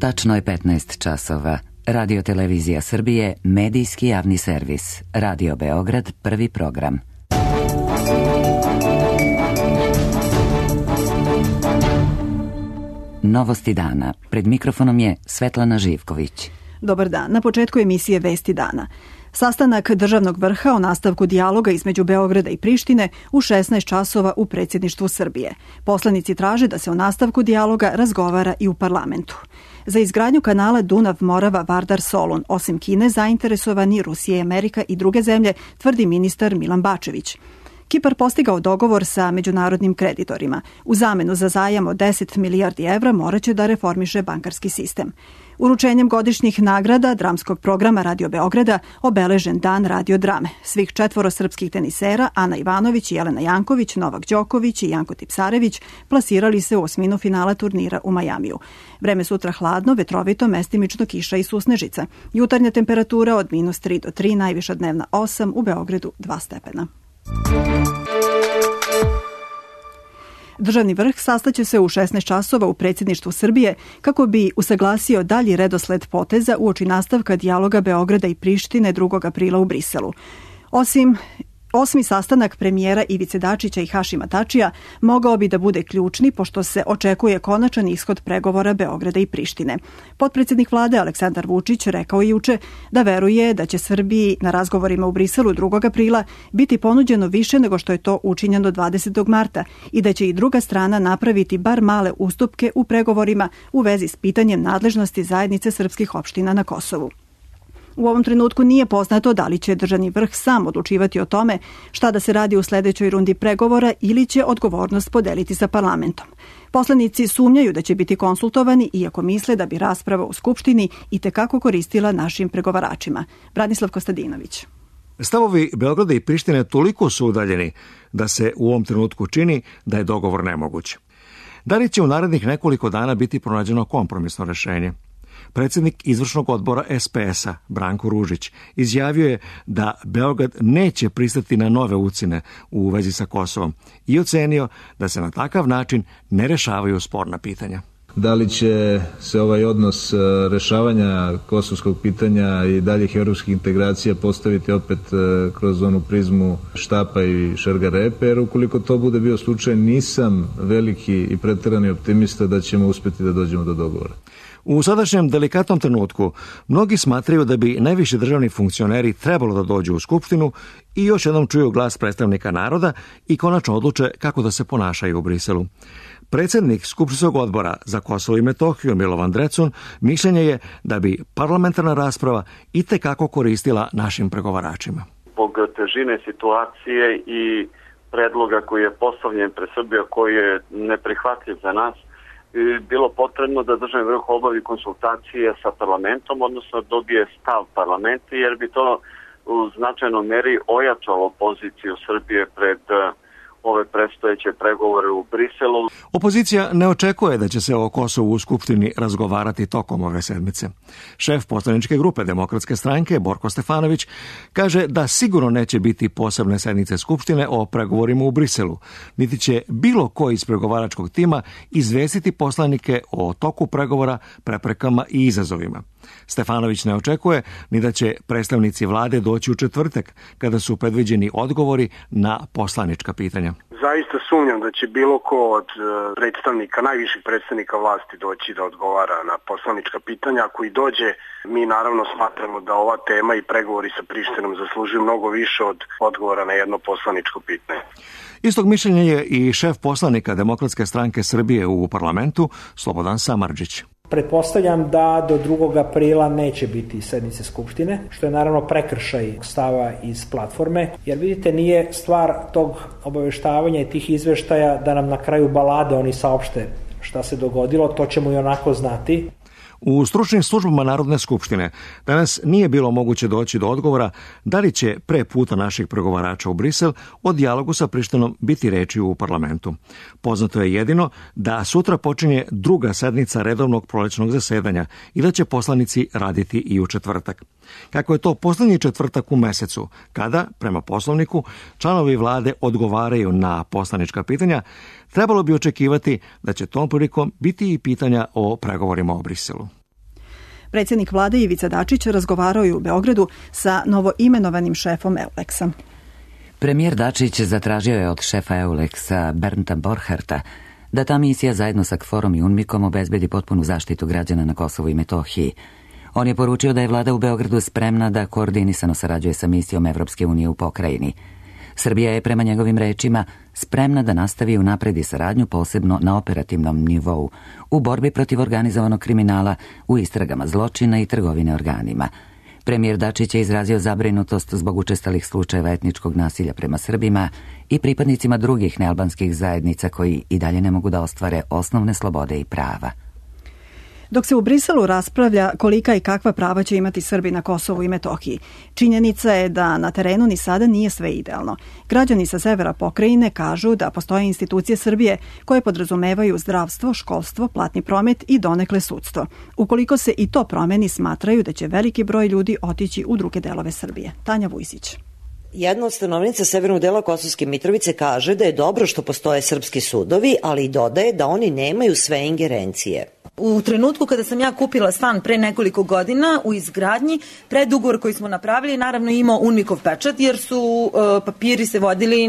Tačno je 15 časova. Radio Televizija Srbije, medijski javni servis. Radio Beograd, prvi program. Novosti dana. Pred mikrofonom je Svetlana Živković. Dobar dan. Na početku emisije Vesti dana. Sastanak državnog vrha o nastavku dijaloga između Beograda i Prištine u 16 časova u predsjedništvu Srbije. Poslanici traže da se o nastavku dijaloga razgovara i u parlamentu. Za izgradnju kanala Dunav-Morava-Vardar-Solun, osim Kine, zainteresovani Rusija i Amerika i druge zemlje, tvrdi ministar Milan Bačević. Kipar postigao dogovor sa međunarodnim kreditorima. U zamenu za zajam od 10 milijardi evra moraće da reformiše bankarski sistem. Uručenjem godišnjih nagrada dramskog programa Radio Beograda obeležen dan radio drame. Svih 4 srpskih tenisera, Ana Ivanović, Jelena Janković, Novak Đoković i Janko Tipsarević, plasirali se u osminu finala turnira u Majamiju. Vreme sutra hladno, vetrovito, mestimično kiša i susnežica. Jutarnja temperatura od -3 do 3, najviša dnevna 8, u Beogradu 2 stepena. Državni vrh sastaće se u 16 časova u predsjedništvu Srbije kako bi usaglasio dalji redosled poteza uoči nastavka dijaloga Beograda i Prištine 2. aprila u Briselu. Osmi sastanak premijera Ivice Dačića i Hašima Tačija mogao bi da bude ključni pošto se očekuje konačan ishod pregovora Beograda i Prištine. Potpredsjednik vlade Aleksandar Vučić rekao je juče da veruje da će Srbiji na razgovorima u Briselu 2. aprila biti ponuđeno više nego što je to učinjeno 20. marta i da će i druga strana napraviti bar male ustupke u pregovorima u vezi s pitanjem nadležnosti zajednice srpskih opština na Kosovu. U ovom trenutku nije poznato da li će državni vrh sam odlučivati o tome šta da se radi u sljedećoj rundi pregovora ili će odgovornost podeliti sa parlamentom. Poslanici sumnjaju da će biti konsultovani, iako misle da bi rasprava u Skupštini itekako koristila našim pregovaračima. Branislav Kostadinović. Stavovi Beograda i Prištine toliko su udaljeni da se u ovom trenutku čini da je dogovor nemoguć. Da li će u narednih nekoliko dana biti pronađeno kompromisno rešenje? Predsjednik izvršnog odbora SPS-a, Branko Ružić, izjavio je da Beograd neće pristati na nove ucjene u vezi sa Kosovom i ocenio da se na takav način ne rešavaju sporna pitanja. Da li će se ovaj odnos rešavanja kosovskog pitanja i daljih evropskih integracija postaviti opet kroz onu prizmu štapa i šargarepe, jer ukoliko to bude bio slučaj, nisam veliki i preterani optimista da ćemo uspjeti da dođemo do dogovora. U sadašnjem delikatnom trenutku mnogi smatraju da bi najviši državni funkcioneri trebalo da dođu u Skupštinu i još jednom čuju glas predstavnika naroda i konačno odluče kako da se ponašaju u Briselu. Predsjednik Skupštinskog odbora za Kosovo i Metohiju Milovan Drecun mišljenje je da bi parlamentarna rasprava itekako koristila našim pregovaračima. Zbog težine situacije i predloga koji je postavljen pred Srbiju, koji je neprihvatljiv za nas, bilo potrebno da državni vrh obavi konsultacije sa parlamentom, odnosno dobije stav parlamenta, jer bi to u značajnoj meri ojačalo poziciju Srbije pred ove predstojeće pregovore u Briselu. Opozicija ne očekuje da će se o Kosovu u Skupštini razgovarati tokom ove sedmice. Šef poslaničke grupe Demokratske stranke, Borko Stefanović, kaže da sigurno neće biti posebne sednice Skupštine o pregovorima u Briselu, niti će bilo ko iz pregovaračkog tima izvestiti poslanike o toku pregovora, preprekama i izazovima. Stefanović ne očekuje ni da će predstavnici vlade doći u četvrtak, kada su predviđeni odgovori na poslanička pitanja. Zaista sumnjam da će bilo ko od predstavnika, najviših predstavnika vlasti doći da odgovara na poslanička pitanja. Ako i dođe, mi naravno smatramo da ova tema i pregovori sa Prištinom zaslužuju mnogo više od odgovora na jedno poslaničko pitanje. Istog mišljenja je i šef poslanika Demokratske stranke Srbije u parlamentu, Slobodan Samardžić. Pretpostavljam da do 2. aprila neće biti sednice Skupštine, što je naravno prekršaj stava iz platforme, jer vidite, nije stvar tog obaveštavanja i tih izveštaja da nam na kraju balade oni saopšte šta se dogodilo, to ćemo i onako znati. U stručnim službama Narodne skupštine danas nije bilo moguće doći do odgovora da li će pre puta naših pregovarača u Brisel o dijalogu sa Prištinom biti reči u parlamentu. Poznato je jedino da sutra počinje druga sednica redovnog prolećnog zasedanja i da će poslanici raditi i u četvrtak. Kako je to poslednji četvrtak u mesecu, kada, prema poslovniku, članovi vlade odgovaraju na poslanička pitanja, trebalo bi očekivati da će tom prilikom biti i pitanja o pregovorima o Briselu. Predsjednik vlade Ivica Dačić razgovarao je u Beogradu sa novoimenovanim šefom EULEX-a. Premijer Dačić zatražio je od šefa EULEX-a Bernta Borcharta da ta misija zajedno sa KFOR-om i UNMIK-om obezbedi potpunu zaštitu građana na Kosovu i Metohiji. On je poručio da je vlada u Beogradu spremna da koordinisano sarađuje sa misijom Evropske unije u pokrajini. Srbija je, prema njegovim rečima, spremna da nastavi i unapredi saradnju posebno na operativnom nivou, u borbi protiv organizovanog kriminala, u istragama zločina i trgovine organima. Premijer Dačić je izrazio zabrinutost zbog učestalih slučajeva etničkog nasilja prema Srbima i pripadnicima drugih nealbanskih zajednica koji i dalje ne mogu da ostvare osnovne slobode i prava. Dok se u Briselu raspravlja kolika i kakva prava će imati Srbi na Kosovu i Metohiji, činjenica je da na terenu ni sada nije sve idealno. Građani sa severa pokrajine kažu da postoje institucije Srbije koje podrazumevaju zdravstvo, školstvo, platni promet i donekle sudstvo. Ukoliko se i to promeni, smatraju da će veliki broj ljudi otići u druge delove Srbije. Tanja Vujsić. Jedna od stanovnica severnog dela Kosovske Mitrovice kaže da je dobro što postoje srpski sudovi, ali i dodaje da oni nemaju sve ingerencije. U trenutku kada sam ja kupila stan pre nekoliko godina u izgradnji, predugovor koji smo napravili naravno imao UNMIK-ov pečat jer su papiri se vodili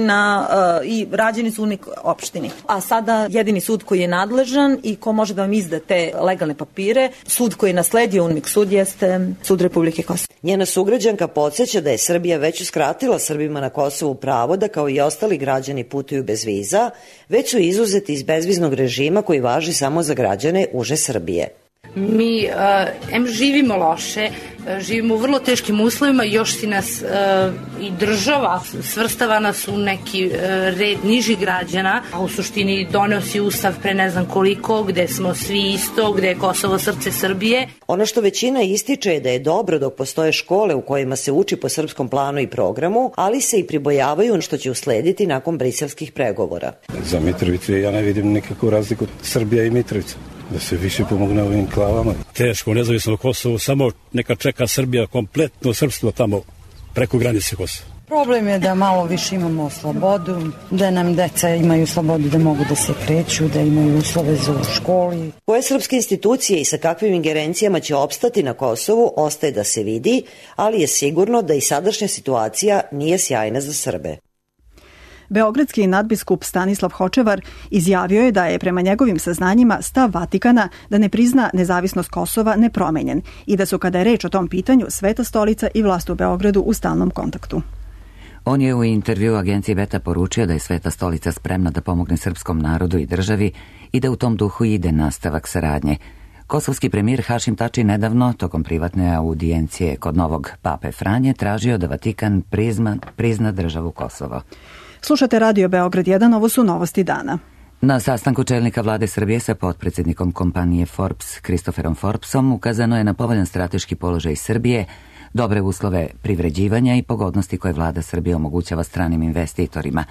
i rađeni su UNMIK opštini. A sada jedini sud koji je nadležan i ko može da vam izda te legalne papire, sud koji je nasledio UNMIK sud jeste Sud Republike Kosovo. Njena sugrađanka podsjeća da je Srbija već uskratila Srbima na Kosovu pravo da kao i ostali građani putuju bez viza, već su izuzeti iz bezviznog režima koji važi samo za građane uže Srbije. Mi živimo loše, živimo u vrlo teškim uslovima, još si nas i država svrstava nas u neki red nižih građana, a u suštini doneo si ustav pre ne znam koliko, gde smo svi isto, gde je Kosovo srce Srbije. Ono što većina ističe je da je dobro dok postoje škole u kojima se uči po srpskom planu i programu, ali se i pribojavaju što će uslediti nakon briselskih pregovora. Za Mitrovicu ja ne vidim nikakvu razliku Srbija i Mitrovica. Da se više pomogne ovim klavama. Teško, nezavisno Kosovo, samo neka čeka Srbija kompletno srpstvo tamo preko granice Kosova. Problem je da malo više imamo slobodu, da nam deca imaju slobodu da mogu da se kreću, da imaju uslove za u školi. Koje srpske institucije i sa kakvim ingerencijama će opstati na Kosovu ostaje da se vidi, ali je sigurno da i sadašnja situacija nije sjajna za Srbe. Beogradski nadbiskup Stanislav Hočevar izjavio je da je prema njegovim saznanjima stav Vatikana da ne prizna nezavisnost Kosova nepromenjen i da su kada je reč o tom pitanju Sveta stolica i vlast u Beogradu u stalnom kontaktu. On je u intervju agenciji Beta poručio da je Sveta stolica spremna da pomogne srpskom narodu i državi i da u tom duhu ide nastavak saradnje. Kosovski premijer Hašim Tači nedavno, tokom privatne audijencije kod novog pape Franje, tražio da Vatikan prizna državu Kosovo. Slušate Radio Beograd 1, ovo su novosti dana. Na sastanku čelnika vlade Srbije sa potpredsjednikom kompanije Forbes, Kristoferom Forbesom, ukazano je na povoljan strateški položaj Srbije, dobre uslove privređivanja i pogodnosti koje vlada Srbije omogućava stranim investitorima.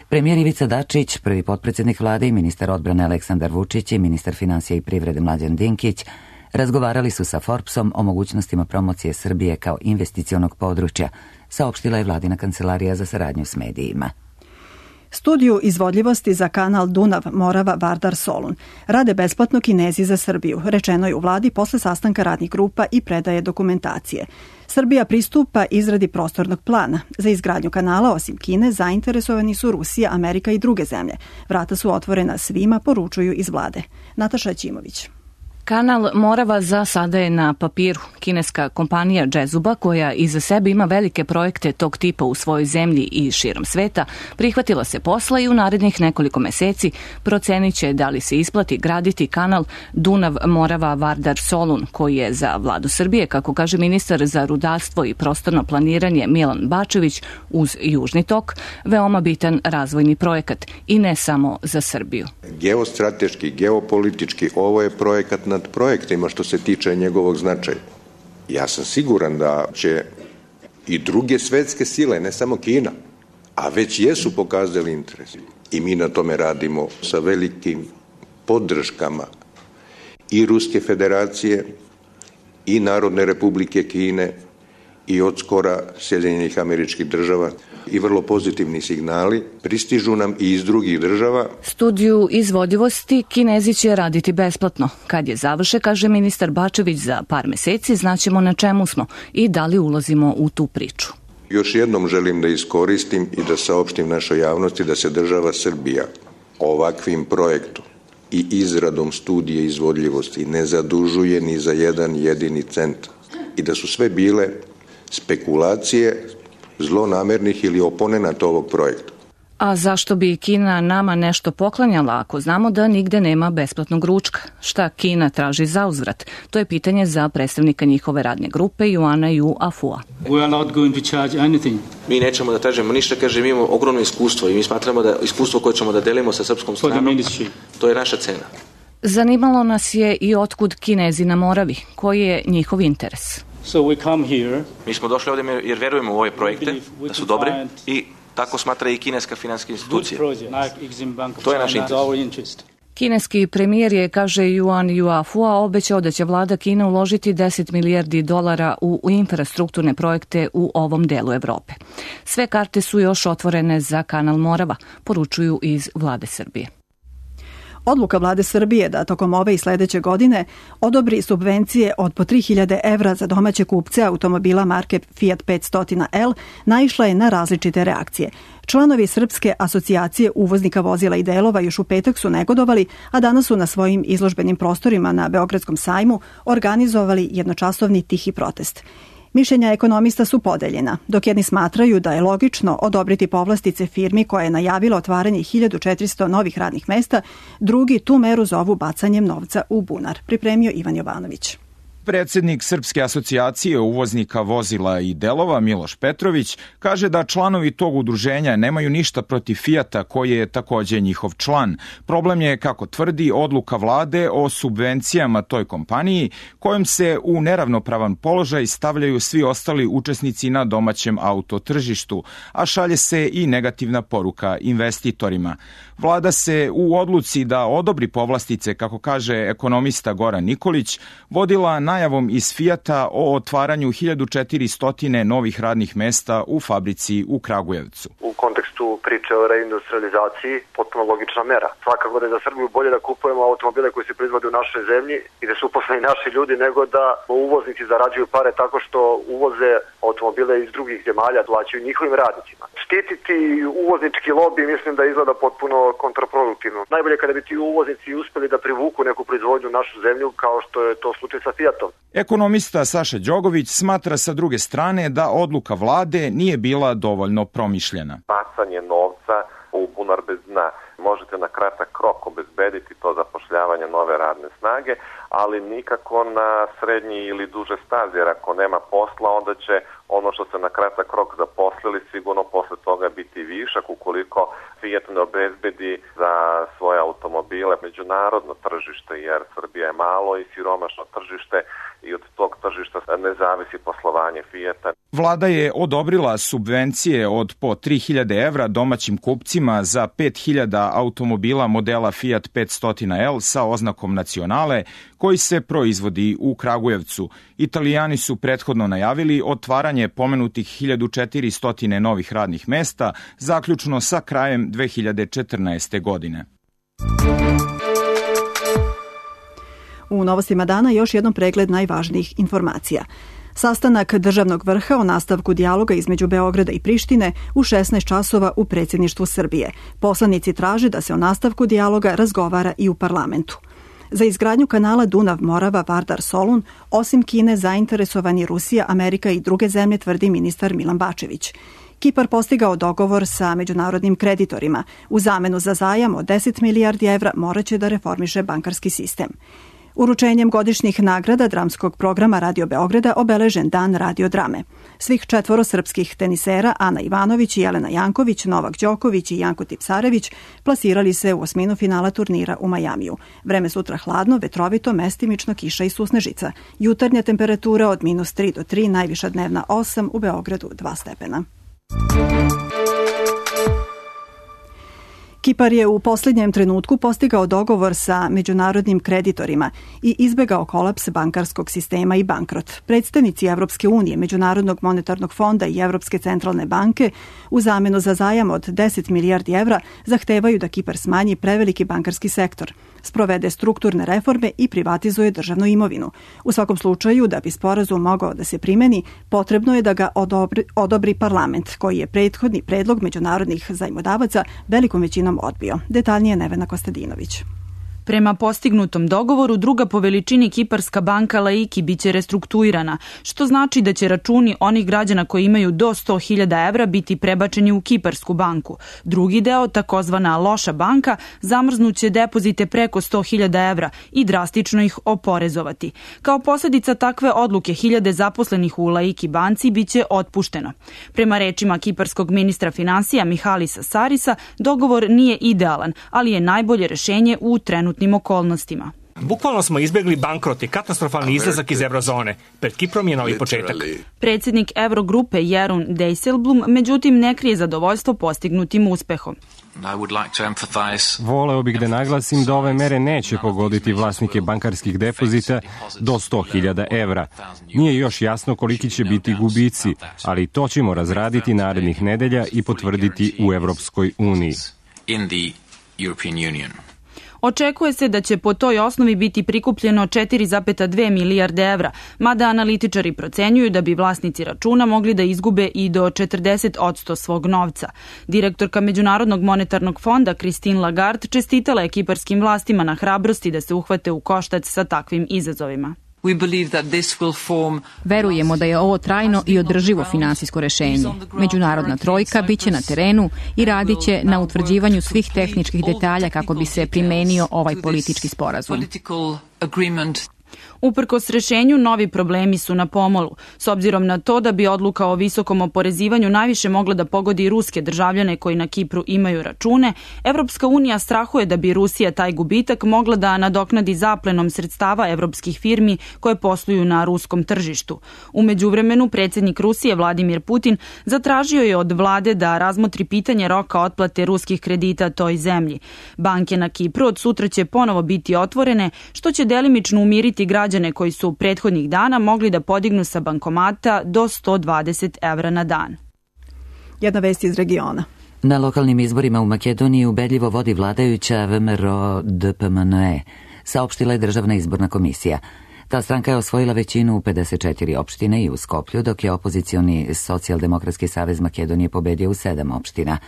Premijer Ivica Dačić, prvi potpredsjednik vlade i ministar odbrane Aleksandar Vučić i ministar financija i privrede Mlađan Dinkić razgovarali su sa Forbesom o mogućnostima promocije Srbije kao investicionog područja, saopštila je vladina kancelarija za saradnju s medijima. Studiju izvodljivosti za kanal Dunav-Morava-Vardar-Solun rade besplatno Kinezi za Srbiju, rečeno je u vladi posle sastanka radnih grupa i predaje dokumentacije. Srbija pristupa izradi prostornog plana. Za izgradnju kanala, osim Kine, zainteresovani su Rusija, Amerika i druge zemlje. Vrata su otvorena svima, poručuju iz vlade. Nataša Ćimović. Kanal Morava za sada je na papiru. Kineska kompanija Džezuba, koja iza sebe ima velike projekte tog tipa u svojoj zemlji i širom sveta, prihvatila se posla i u narednih nekoliko meseci procenit će da li se isplati graditi kanal Dunav-Morava-Vardar-Solun, koji je za vladu Srbije, kako kaže ministar za rudarstvo i prostorno planiranje Milan Bačević, uz Južni tok, veoma bitan razvojni projekat i ne samo za Srbiju. Geostrateški, geopolitički, ovo je projekat nad projektima što se tiče njegovog značaja. Ja sam siguran da će i druge svetske sile, ne samo Kina, a već jesu pokazali interes. I mi na tome radimo sa velikim podrškama i Ruske federacije, i Narodne republike Kine, i od skora Sjedinjenih Američkih Država i vrlo pozitivni signali pristižu nam i iz drugih država. Studiju izvodljivosti Kinezi će raditi besplatno. Kad je završe, kaže ministar Bačević, za par meseci znaćemo na čemu smo i da li ulazimo u tu priču. Još jednom želim da iskoristim i da saopštim našoj javnosti da se država Srbija ovakvim projektom i izradom studije izvodljivosti ne zadužuje ni za jedan jedini cent i da su sve bile spekulacije zlonamernih ili oponenata ovog projekta. A zašto bi Kina nama nešto poklanjala ako znamo da nigde nema besplatnog ručka? Šta Kina traži za uzvrat? To je pitanje za predstavnika njihove radne grupe Juana Yu Afua. Mi nećemo da tražimo ništa, kaže, mi imamo ogromno iskustvo i mi smatramo da iskustvo koje ćemo da delimo sa srpskom stranom, to je naša cena. Zanimalo nas je i otkud Kinezi na Moravi, koji je njihov interes. Mi smo došli ovdje jer verujemo u ove projekte, da su dobre i tako smatra i kineska finansijska institucija. To je naš interes. Kineski premijer je, kaže Yuan Yuafua, obećao da će vlada Kine uložiti $10 milijardi u infrastrukturne projekte u ovom delu Evrope. Sve karte su još otvorene za kanal Morava, poručuju iz vlade Srbije. Odluka vlade Srbije da tokom ove i sledeće godine odobri subvencije od po 3.000 evra za domaće kupce automobila marke Fiat 500L naišla je na različite reakcije. Članovi Srpske asocijacije uvoznika vozila i delova još u petak su negodovali, a danas su na svojim izložbenim prostorima na Beogradskom sajmu organizovali jednočasovni tihi protest. Mišljenja ekonomista su podeljena, dok jedni smatraju da je logično odobriti povlastice firmi koja je najavila otvaranje 1400 novih radnih mesta, drugi tu meru zovu bacanjem novca u bunar. Pripremio Ivan Jovanović. Predsednik Srpske asocijacije uvoznika vozila i delova Miloš Petrović kaže da članovi tog udruženja nemaju ništa protiv Fijata koji je takođe njihov član. Problem je, kako tvrdi, odluka vlade o subvencijama toj kompaniji kojom se u neravnopravan položaj stavljaju svi ostali učesnici na domaćem autotržištu, a šalje se i negativna poruka investitorima. Vlada se u odluci da odobri povlastice, kako kaže ekonomista Goran Nikolić, vodila najavom iz Fijata o otvaranju 1400 novih radnih mesta u fabrici u Kragujevcu. U kontekstu priče o reindustrializaciji potpuno logična mera. Svakako da je za Srbiju bolje da kupujemo automobile koji se proizvode u našoj zemlji i da su uposleni naši ljudi nego da uvoznici zarađuju pare tako što uvoze automobile iz drugih zemalja, plaćaju njihovim radnicima. Štititi uvoznički lobi mislim da izgleda potpuno kontraproduktivno. Najbolje kada bi ti uvoznici uspeli da privuku neku proizvodnju u našu zemlju kao što je to slučaj sa Fijatom. Ekonomista Saša Đogović smatra sa druge strane da odluka vlade nije bila dovoljno promišljena. Bacanje novca u bunar bez dna. Možete na kratak rok obezbediti to zapošljavanje nove radne snage, ali nikako na srednji ili duže staze, jer ako nema posla, onda će ono što se na kratak rok zaposlili sigurno posle toga biti višak ukoliko Fiat ne obezbedi za svoje automobile međunarodno tržište, jer Srbija je malo i siromašno tržište i od tog tržišta ne zavisi poslovanje Fijata. Vlada je odobrila subvencije od po 3.000 evra domaćim kupcima za 5.000 automobila modela Fiat 500L sa oznakom nacionale koji se proizvodi u Kragujevcu. Italijani su prethodno najavili otvaranje pomenutih 1400 novih radnih mesta, zaključno sa krajem 2014. godine. U novostima dana još jednom pregled najvažnijih informacija. Sastanak državnog vrha o nastavku dijaloga između Beograda i Prištine u 16 časova u predsjedništvu Srbije. Poslanici traže da se o nastavku dijaloga razgovara i u parlamentu. Za izgradnju kanala Dunav-Morava-Vardar-Solun, osim Kine, zainteresovani Rusija, Amerika i druge zemlje, tvrdi ministar Milan Bačević. Kipar postigao dogovor sa međunarodnim kreditorima. U zamenu za zajam od 10 milijardi evra moraće da reformiše bankarski sistem. Uručenjem godišnjih nagrada dramskog programa Radio Beograda obeležen dan radiodrame. Svih 4 srpskih tenisera, Ana Ivanović, Jelena Janković, Novak Đoković i Janko Tipsarević, plasirali se u osminu finala turnira u Majamiju. Vreme sutra hladno, vetrovito, mestimično, kiša i susnežica. Jutarnja temperatura od -3 do 3, najviša dnevna 8, u Beogradu 2 stepena. Kipar je u posljednjem trenutku postigao dogovor sa međunarodnim kreditorima i izbegao kolaps bankarskog sistema i bankrot. Predstavnici Evropske unije, Međunarodnog monetarnog fonda i Evropske centralne banke u zamenu za zajam od 10 milijardi evra zahtevaju da Kipar smanji preveliki bankarski sektor, sprovede strukturne reforme i privatizuje državnu imovinu. U svakom slučaju, da bi sporazum mogao da se primeni, potrebno je da ga odobri parlament, koji je prethodni predlog međunarodnih zajmodavaca velikom većinom odbio. Detaljnije Nevena Kostadinović. Prema postignutom dogovoru, druga po veličini kiparska banka Laiki biće restrukturirana, što znači da će računi onih građana koji imaju do 100.000 evra biti prebačeni u kiparsku banku. Drugi deo, takozvana loša banka, zamrznuće depozite preko 100.000 evra i drastično ih oporezovati. Kao posljedica takve odluke, hiljade zaposlenih u Laiki banci biće otpušteno. Prema rečima kiparskog ministra finansija Mihalisa Sarisa, dogovor nije idealan, ali je najbolje rešenje u trenutnim okolnostima. Bukvalno smo izbjegli bankrot i katastrofalni izlazak iz eurozone. Pred Kiprom je novi početak. Predsjednik Eurogrupe Jeroen Dijsselbloem međutim ne krije zadovoljstvo postignutim uspehom. Voleo bih da naglasim da ove mere neće pogoditi vlasnike bankarskih depozita do 100.000 evra. Nije još jasno koliki će biti gubici, ali to ćemo razraditi narednih nedelja i potvrditi u Evropskoj uniji. Očekuje se da će po toj osnovi biti prikupljeno 4,2 milijarde evra, mada analitičari procenjuju da bi vlasnici računa mogli da izgube i do 40% svog novca. Direktorka Međunarodnog monetarnog fonda Christine Lagarde čestitala je kiparskim vlastima na hrabrosti da se uhvate u koštac sa takvim izazovima. Verujemo da je ovo trajno i održivo finansijsko rešenje. Međunarodna trojka biće na terenu i radit će na utvrđivanju svih tehničkih detalja kako bi se primenio ovaj politički sporazum. Uprkos rešenju, novi problemi su na pomolu. S obzirom na to da bi odluka o visokom oporezivanju najviše mogla da pogodi ruske državljane koji na Kipru imaju račune, Evropska unija strahuje da bi Rusija taj gubitak mogla da nadoknadi zaplenom sredstava evropskih firmi koje posluju na ruskom tržištu. U međuvremenu, predsjednik Rusije Vladimir Putin zatražio je od vlade da razmotri pitanje roka otplate ruskih kredita toj zemlji. Banke na Kipru od sutra će ponovo biti otvorene, što će delimično umiriti građane koji su prethodnih dana mogli da podignu sa bankomata do 120 evra na dan. Jedna vest iz regiona. Na lokalnim izborima u Makedoniji ubedljivo vodi vladajuća VMRO DPMNE, saopštila je Državna izborna komisija. Ta stranka je osvojila većinu u 54 opštine i u Skoplju, dok je opozicioni Socijaldemokratski savez Makedonije pobedio u 7 opština.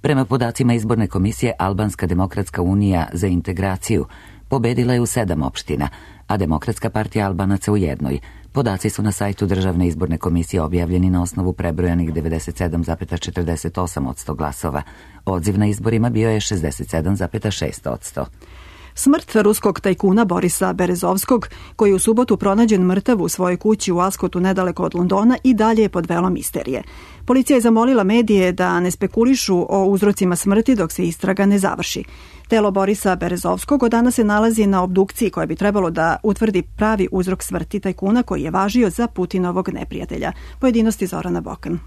Prema podacima izborne komisije, Albanska demokratska unija za integraciju pobedila je u 7 opština, a Demokratska partija Albanaca u 1. Podaci su na sajtu Državne izborne komisije objavljeni na osnovu prebrojanih 97,48% glasova. Odziv na izborima bio je 67,6%. Smrt ruskog tajkuna Borisa Berezovskog, koji je u subotu pronađen mrtav u svojoj kući u Askotu nedaleko od Londona, i dalje je pod velom misterije. Policija je zamolila medije da ne spekulišu o uzrocima smrti dok se istraga ne završi. Telo Borisa Berezovskog od danas se nalazi na obdukciji koja bi trebalo da utvrdi pravi uzrok smrti tajkuna koji je važio za Putinovog neprijatelja. Pojedinosti Zorana Bokan.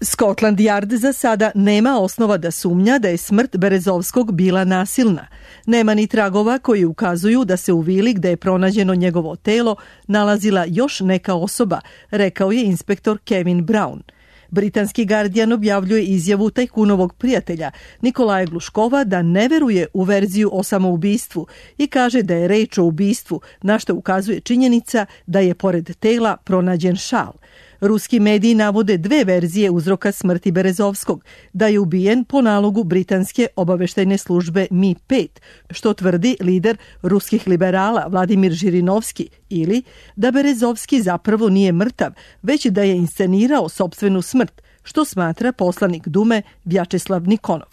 Scotland Yard za sada nema osnova da sumnja da je smrt Berezovskog bila nasilna. Nema ni tragova koji ukazuju da se u vili gde je pronađeno njegovo telo nalazila još neka osoba, rekao je inspektor Kevin Brown. Britanski Guardian objavljuje izjavu tajkunovog prijatelja Nikolaja Gluškova da ne veruje u verziju o samoubistvu i kaže da je reč o ubistvu, na što ukazuje činjenica da je pored tela pronađen šal. Ruski mediji navode dve verzije uzroka smrti Berezovskog, da je ubijen po nalogu britanske obaveštajne službe Mi-5, što tvrdi lider ruskih liberala Vladimir Žirinovski, ili da Berezovski zapravo nije mrtav, već da je inscenirao sopstvenu smrt, što smatra poslanik Dume Vjačeslav Nikonov.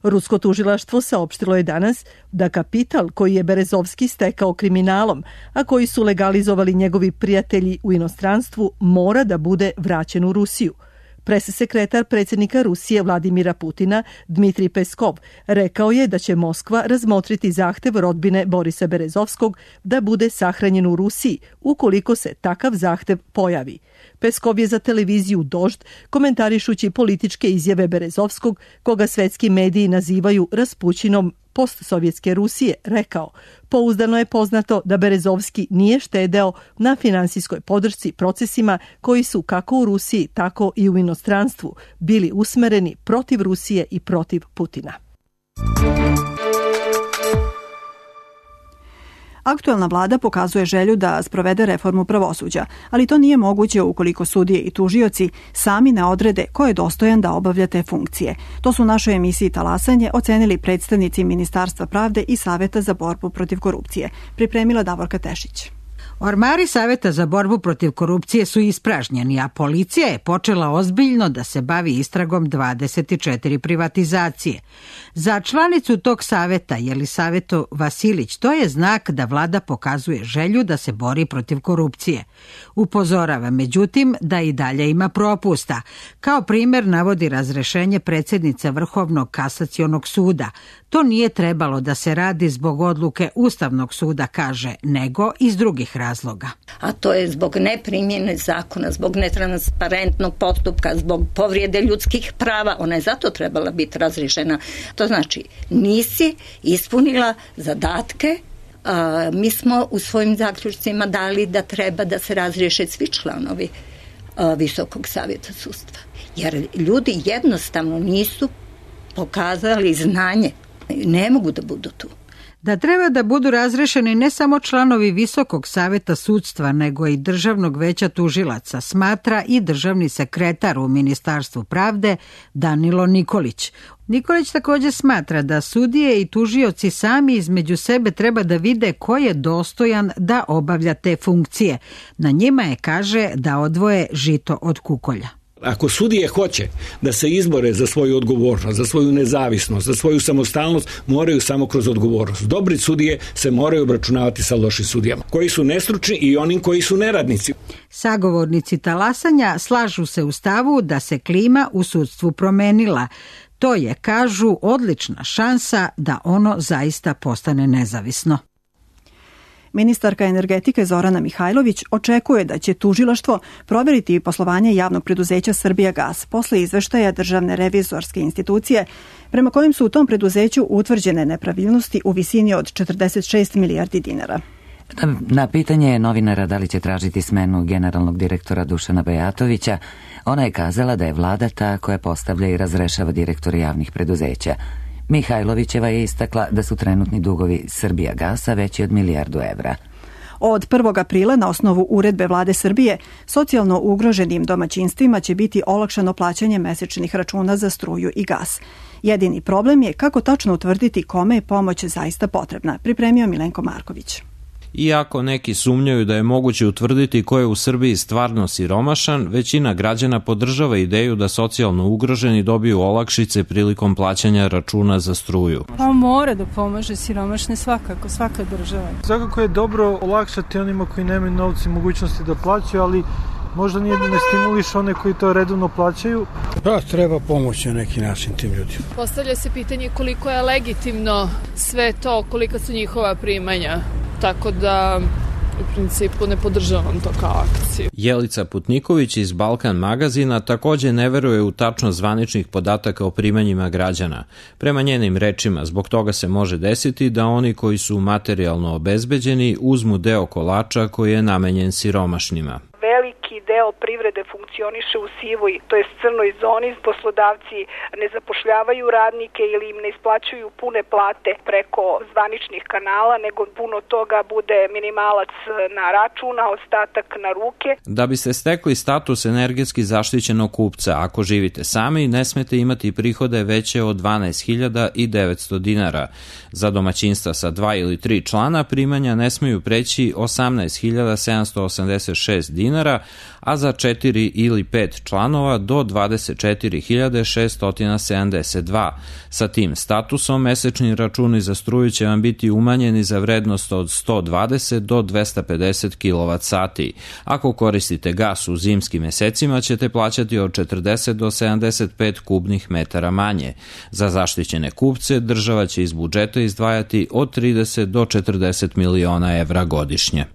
Rusko tužilaštvo saopštilo je danas da kapital koji je Berezovski stekao kriminalom, a koji su legalizovali njegovi prijatelji u inostranstvu, mora da bude vraćen u Rusiju. Pressekretar predsjednika Rusije Vladimira Putina Dmitrij Peskov rekao je da će Moskva razmotriti zahtev rodbine Borisa Berezovskog da bude sahranjen u Rusiji ukoliko se takav zahtev pojavi. Peskov je za televiziju Dožd, komentarišući političke izjave Berezovskog, koga svetski mediji nazivaju raspućinom postsovjetske Rusije, rekao: pouzdano je poznato da Berezovski nije štedeo na finansijskoj podršci procesima koji su kako u Rusiji, tako i u inostranstvu bili usmereni protiv Rusije i protiv Putina. Aktuelna vlada pokazuje želju da sprovede reformu pravosuđa, ali to nije moguće ukoliko sudije i tužioci sami ne odrede ko je dostojan da obavlja te funkcije. To su u našoj emisiji Talasanje ocenili predstavnici Ministarstva pravde i Saveta za borbu protiv korupcije. Pripremila Davorka Tešić. Ormari Saveta za borbu protiv korupcije su ispražnjeni, a policija je počela ozbiljno da se bavi istragom 24 privatizacije. Za članicu tog saveta, Jelisavetu Vasilić, to je znak da vlada pokazuje želju da se bori protiv korupcije. Upozorava, međutim, da i dalje ima propusta. Kao primjer navodi razrešenje predsjednice Vrhovnog kasacionog suda. To nije trebalo da se radi zbog odluke Ustavnog suda, kaže, nego iz drugih razloga. A to je zbog neprimjene zakona, zbog netransparentnog postupka, zbog povrijede ljudskih prava. Ona je zato trebala biti razriješena. To znači, nisi ispunila zadatke. Mi smo u svojim zaključcima dali da treba da se razriješe svi članovi Visokog savjeta sudstva. Jer ljudi jednostavno nisu pokazali znanje. Ne mogu da budu tu. Da treba da budu razrešeni ne samo članovi Visokog savjeta sudstva, nego i Državnog veća tužilaca, smatra i državni sekretar u Ministarstvu pravde Danilo Nikolić. Nikolić također smatra da sudije i tužioci sami između sebe treba da vide ko je dostojan da obavlja te funkcije. Na njima je, kaže, da odvoje žito od kukolja. Ako sudije hoće da se izbore za svoju odgovornost, za svoju nezavisnost, za svoju samostalnost, moraju samo kroz odgovornost. Dobri sudije se moraju obračunavati sa lošim sudijama, koji su nestručni i onim koji su neradnici. Sagovornici talasanja slažu se u stavu da se klima u sudstvu promenila. To je, kažu, odlična šansa da ono zaista postane nezavisno. Ministarka energetike Zorana Mihajlović očekuje da će tužilaštvo provjeriti poslovanje javnog preduzeća Srbijagas posle izveštaja Državne revizorske institucije prema kojim su u tom preduzeću utvrđene nepravilnosti u visini od 46 milijardi dinara. Na pitanje novinara da li će tražiti smenu generalnog direktora Dušana Bajatovića, ona je kazala da je vlada ta koja postavlja i razrešava direktore javnih preduzeća. Mihajlovićeva je istakla da su trenutni dugovi Srbijagasa veći od milijardu evra. Od 1. aprila na osnovu uredbe vlade Srbije socijalno ugroženim domaćinstvima će biti olakšano plaćanje mesečnih računa za struju i gas. Jedini problem je kako tačno utvrditi kome je pomoć zaista potrebna, pripremio Milenko Marković. Iako neki sumnjaju da je moguće utvrditi ko je u Srbiji stvarno siromašan, većina građana podržava ideju da socijalno ugroženi dobiju olakšice prilikom plaćanja računa za struju. Pa mora da pomaže siromašne svakako, svaka država. Svakako je dobro olakšati onima koji nemaju novci mogućnosti da plaćaju, ali možda ne stimuliš one koji to redovno plaćaju. Da, treba pomoći na neki način tim ljudima. Postavlja se pitanje koliko je legitimno sve to, kolika su njihova primanja. Tako da u principu ne podržavam to kao akciju. Jelica Putniković iz Balkan magazina također ne veruje u tačnost zvaničnih podataka o primanjima građana. Prema njenim rečima, zbog toga se može desiti da oni koji su materijalno obezbeđeni uzmu deo kolača koji je namenjen siromašnima. Veliki deo privrede funkcioniše u sivoj, to jest crnoj zoni. Poslodavci ne zapošljavaju radnike ili im ne isplaćuju pune plate preko zvaničnih kanala, nego puno toga bude minimalac na račun, a ostatak na ruke. Da biste stekli status energetski zaštićenog kupca, ako živite sami, ne smete imati prihode veće od 12.900 dinara. Za domaćinstva sa 2 ili 3 člana primanja ne smeju preći 18.786 dinara, a za 4 ili 5 članova do 24.672. Sa tim statusom mesečni računi za struju će vam biti umanjeni za vrednost od 120 do 250 kWh. Ako koristite gas u zimskim mesecima ćete plaćati od 40 do 75 kubnih metara manje. Za zaštićene kupce država će iz budžeta izdvajati od 30 do 40 miliona evra godišnje.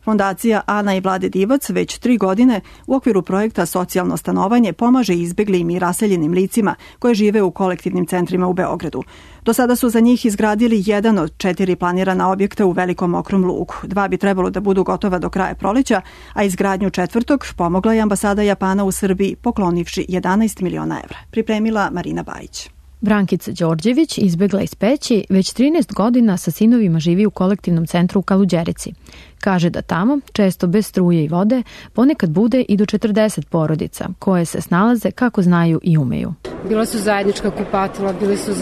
Fondacija Ana i Vlade Divac već 3 godine u okviru projekta Socijalno stanovanje pomaže izbeglim i raseljenim licima koje žive u kolektivnim centrima u Beogradu. Do sada su za njih izgradili 1 od 4 planirana objekta u Velikom Mokrom lugu. 2 bi trebalo da budu gotova do kraja proleća, a izgradnju 4. pomogla je ambasada Japana u Srbiji poklonivši 11 miliona evra. Pripremila Marina Bajić. Brankica Đorđević izbegla iz Peći, već 13 godina sa sinovima živi u kolektivnom centru u Kaluđerici. Kaže da tamo, često bez struje i vode, ponekad bude i do 40 porodica, koje se snalaze kako znaju i umeju. Bila su zajednička kupatila, bili su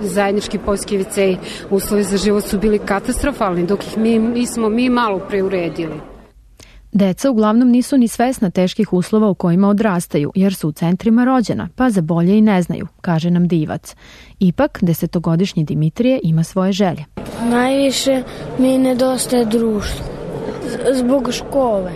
zajednički poljski viceji, uslovi za život su bili katastrofalni, dok ih nismo mi malo preuredili. Deca uglavnom nisu ni svesna teških uslova u kojima odrastaju, jer su u centrima rođena, pa za bolje i ne znaju, kaže nam Divac. Ipak, 10-godišnji Dimitrije ima svoje želje. Najviše mi nedostaje društvo, zbog škole.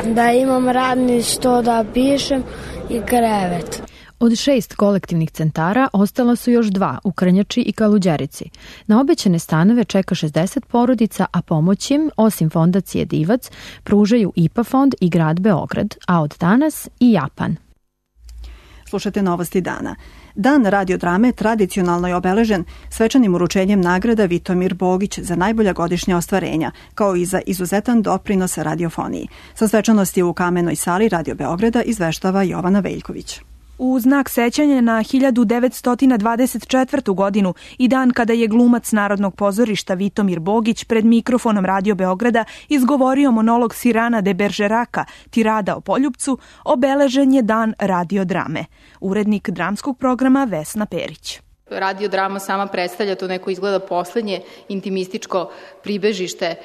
Da imam radni sto da pišem i krevet. Od 6 kolektivnih centara ostala su još 2 u Krnjači i Kaluđerici. Na obećane stanove čeka 60 porodica, a pomoć im, osim fondacije Divac, pružaju IPA fond i grad Beograd, a od danas i Japan. Slušate novosti dana. Dan radiodrame tradicionalno je obeležen svečanim uručenjem nagrada Vitomir Bogić za najbolja godišnja ostvarenja, kao i za izuzetan doprinos radiofoniji. Sa svečanosti u Kamenoj sali Radio Beograda izveštava Jovana Veljković. U znak sećanja na 1924. godinu i dan kada je glumac Narodnog pozorišta Vitomir Bogić pred mikrofonom Radio Beograda izgovorio monolog Sirana de Beržeraka, Tirada o Poljupcu, obeležen je dan radiodrame. Urednik dramskog programa Vesna Perić. Radiodrama sama predstavlja to neko izgleda poslednje intimističko pribežište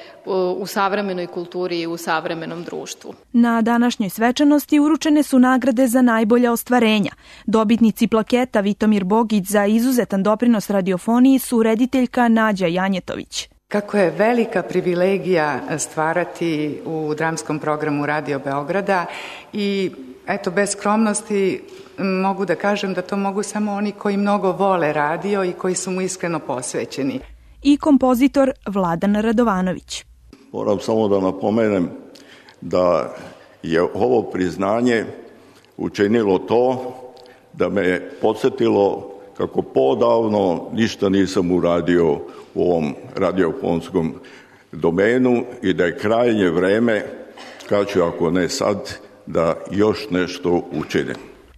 u savremenoj kulturi i u savremenom društvu. Na današnjoj svečanosti uručene su nagrade za najbolja ostvarenja. Dobitnici plaketa Vitomir Bogić za izuzetan doprinos radiofoniji su rediteljka Nađa Janjetović. Kako je velika privilegija stvarati u dramskom programu Radio Beograda i eto, bez skromnosti mogu da kažem da to mogu samo oni koji mnogo vole radio i koji su mu iskreno posvećeni. I kompozitor Vladan Radovanović. Moram samo da napomenem da je ovo priznanje učinilo to da me podsjetilo kako podavno ništa nisam uradio u ovom radiofonskom domenu i da je krajnje vreme, kad ću ako ne sad, da još nešto učinim.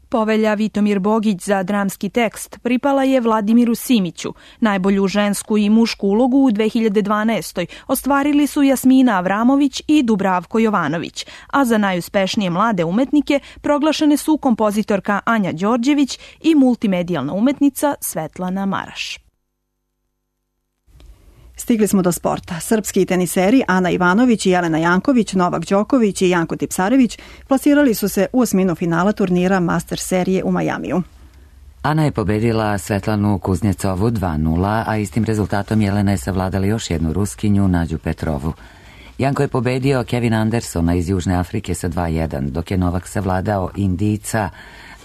Povelja Vitomir Bogić za dramski tekst pripala je Vladimiru Simiću. Najbolju žensku i mušku ulogu u 2012. ostvarili su Jasmina Avramović i Dubravko Jovanović, a za najuspešnije mlade umetnike proglašene su kompozitorka Anja Đorđević i multimedijalna umetnica Svetlana Maraš. Stigli smo do sporta. Srpski teniseri Ana Ivanović i Jelena Janković, Novak Đoković i Janko Tipsarević plasirali su se u osminu finala turnira Master serije u Majamiju. Ana je pobedila Svetlanu Kuznjecovu 2-0, a istim rezultatom Jelena je savladala još jednu Ruskinju, Nađu Petrovu. Janko je pobedio Kevin Andersona iz Južne Afrike sa 2-1, dok je Novak savladao Indijca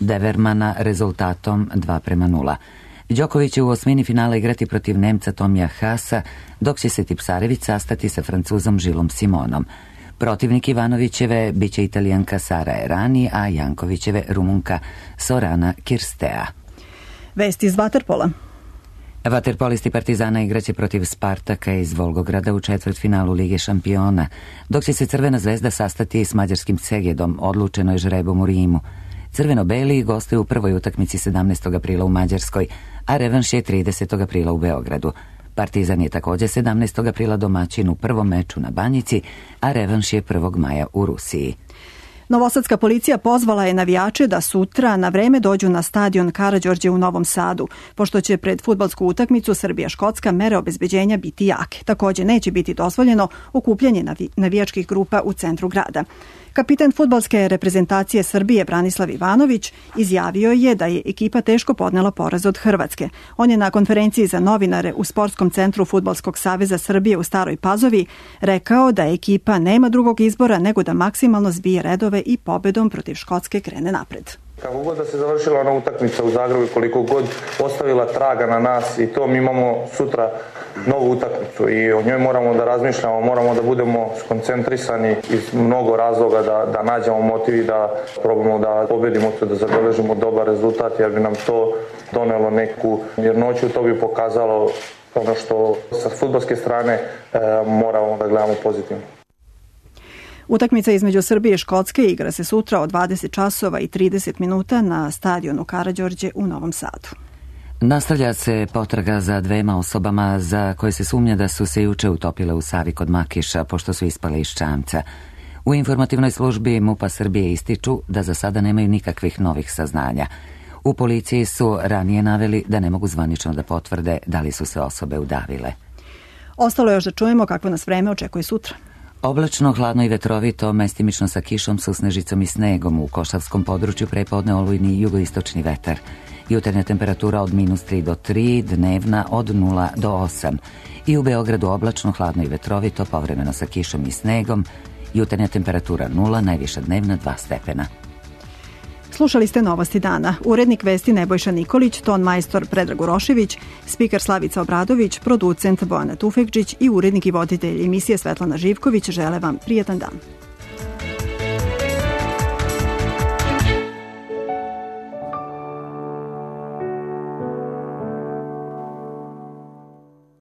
Devermana rezultatom 2-0. Đoković će u osmini finala igrati protiv Nemca Tomija Haasa, dok će se Tipsarević sastati sa Francuzom Žilom Simonom. Protivnik Ivanovićeve biće Italijanka Sara Errani, a Jankovićeve Rumunka Sorana Kirstea. Vesti iz vaterpola. Vaterpolisti Partizana igraće protiv Spartaka iz Volgograda u četvrtfinalu Lige šampiona, dok će se Crvena zvezda sastati s mađarskim Segedom, odlučeno je žrebom u Rimu. Crveno-beli gostuju u prvoj utakmici 17. aprila u Mađarskoj, a revanš je 30. aprila u Beogradu. Partizan je također 17. aprila domaćin u prvom meču na Banjici, a revanš je 1. maja u Rusiji. Novosadska policija pozvala je navijače da sutra na vreme dođu na stadion Karađorđe u Novom Sadu, pošto će pred fudbalsku utakmicu Srbija-Škotska mere obezbeđenja biti jake. Takođe neće biti dozvoljeno okupljanje navijačkih grupa u centru grada. Kapitan fudbalske reprezentacije Srbije Branislav Ivanović izjavio je da je ekipa teško podnela poraz od Hrvatske. On je na konferenciji za novinare u Sportskom centru Fudbalskog saveza Srbije u Staroj Pazovi rekao da ekipa nema drugog izbora nego da maksimalno zbije redove i pobedom protiv Škotske krene napred. Kako god da se završila ona utakmica u Zagrebu i koliko god ostavila traga na nas i to, mi imamo sutra novu utakmicu i o njoj moramo da razmišljamo, moramo da budemo skoncentrisani iz mnogo razloga, da nađemo motiv i da probamo da pobedimo to, da zabeležimo dobar rezultat, jer bi nam to donelo neku mirnoću, to bi pokazalo ono što sa fudbalske strane moramo da gledamo pozitivno. Utakmica između Srbije i Škotske igra se sutra od 20 časova i 30 minuta na stadionu Karađorđe u Novom Sadu. Nastavlja se potraga za dvema osobama za koje se sumnja da su se juče utopile u Savi kod Makiša pošto su ispale iz čamca. U informativnoj službi MUP-a Srbije ističu da za sada nemaju nikakvih novih saznanja. U policiji su ranije naveli da ne mogu zvanično da potvrde da li su se osobe udavile. Ostalo je još da čujemo kakvo nas vreme očekuje sutra. Oblačno, hladno i vetrovito, mestimično sa kišom, susnežicom i snegom. U Košavskom području prepodne olujni jugoistočni vetar. Jutarnja temperatura od -3 do 3, dnevna od 0 do 8. I u Beogradu oblačno, hladno i vetrovito, povremeno sa kišom i snegom. Jutarnja temperatura 0, najviša dnevna 2 stepena. Slušali ste Novosti dana. Urednik vesti Nebojša Nikolić, ton majstor Predrag Urošević, spiker Slavica Obradović, producent Bojana Tufekđić i urednik i voditelj emisije Svetlana Živković žele vam prijetan dan.